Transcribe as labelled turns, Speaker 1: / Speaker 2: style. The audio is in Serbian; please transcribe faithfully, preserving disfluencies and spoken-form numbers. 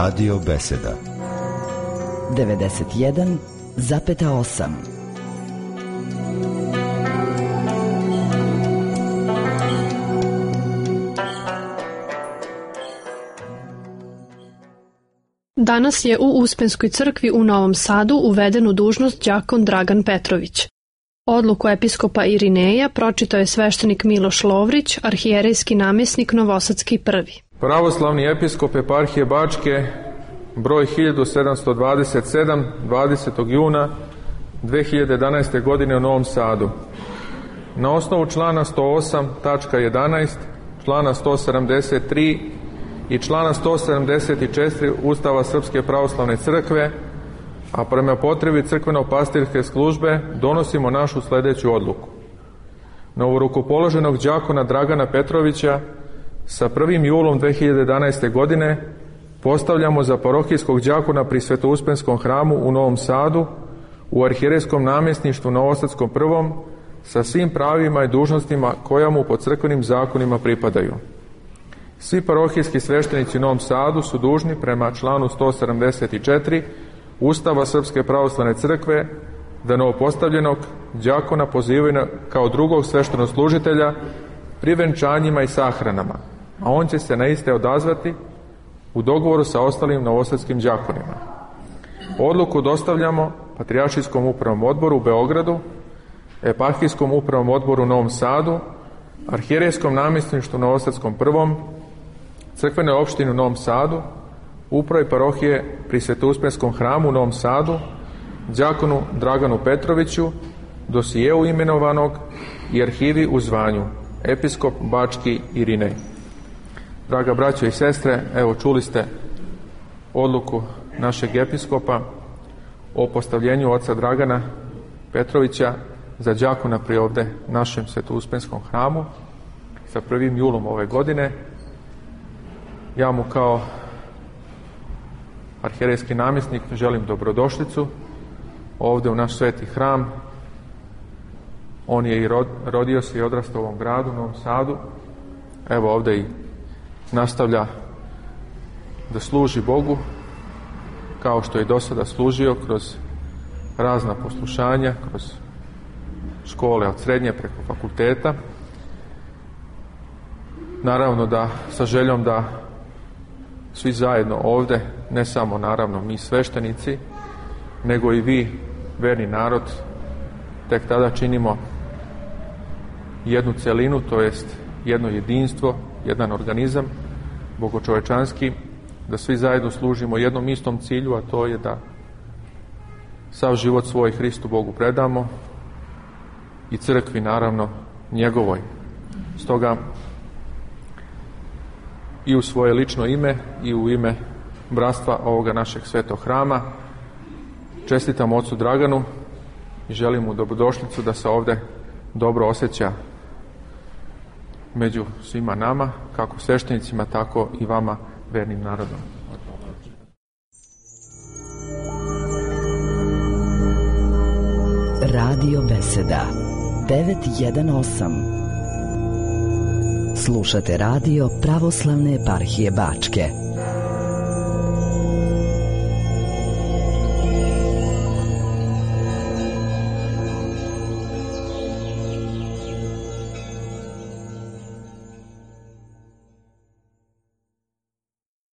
Speaker 1: Radio Beseda
Speaker 2: devedeset jedan zarez osam.
Speaker 3: Danas je u Uspenskoj crkvi u Novom Sadu uveden u dužnost đakon Dragan Petrović. Odluku episkopa Irineja pročitao je sveštenik Miloš Lovrić, arhijerejski namjesnik Novosadski prvi.
Speaker 4: Pravoslavni episkop eparhije Bačke, broj hiljadu sedamsto dvadeset sedam, dvadesetog juna dve hiljade jedanaeste. godine u Novom Sadu. Na osnovu člana sto osam tačka jedanaest, člana sto sedamdeset tri i člana sto sedamdeset četiri Ustava Srpske pravoslavne crkve, a prema potrebi crkveno-pastirske službe donosimo našu sledeću odluku. Novorukopoloženog đakona Dragana Petrovića sa prvim julom dve hiljade jedanaeste. godine postavljamo za parohijskog đakona pri Svetouspenskom hramu u Novom Sadu u arhijerejskom namjesništvu Novosadskom prvom sa svim pravima i dužnostima koja mu po crkvenim zakonima pripadaju. Svi parohijski sveštenici u Novom Sadu su dužni prema članu sto sedamdeset četiri Ustava Srpske pravoslavne crkve da novopostavljenog đakona pozivaju kao drugog sveštenoslужitelja pri venčanjima i sahranama, a on će se na iste odazvati u dogovoru sa ostalim novosadskim đakonima. Odluku dostavljamo Patrijaršijskom upravnom odboru u Beogradu, Eparhijskom upravnom odboru u Novom Sadu, Arhijerejskom namjesništvu Novosadskom prvom, Crkvenoj opštini u Novom Sadu, upravi parohije pri Svetouspenskom hramu u Novom Sadu, đakonu Draganu Petroviću, dosijeu imenovanog i arhivi u zvanju episkop Bački Irinej. Draga braćo i sestre, evo čuli ste odluku našeg episkopa o postavljenju oca Dragana Petrovića za đakona pri ovde našem Svetouspenskom hramu sa prvim julom ove godine. Ja mu kao arhijerejski namjesnik želim dobrodošlicu ovde u naš sveti hram. On je i rod, rodio se i odrastao u ovom gradu, u Novom Sadu. Evo ovde i nastavlja da služi Bogu kao što je do sada služio kroz razna poslušanja, kroz škole od srednje preko fakulteta. Naravno da sa željom da svi zajedno ovde, ne samo naravno mi sveštenici, nego i vi, verni narod, tek tada činimo jednu celinu, to jest jedno jedinstvo, jedan organizam bogočovečanski, da svi zajedno služimo jednom istom cilju, a to je da sav život svoj Hristu Bogu predamo i crkvi naravno njegovoj. Stoga i u svoje lično ime i u ime bratstva ovoga našeg svetog hrama čestitam ocu Draganu i želim mu dobrodošlicu da se ovde dobro osjeća među svima nama, kako sveštenicima, tako i vama, vernim narodom.
Speaker 2: Radio Beseda devetsto osam. Slušate radio Pravoslavne eparhije Bačke.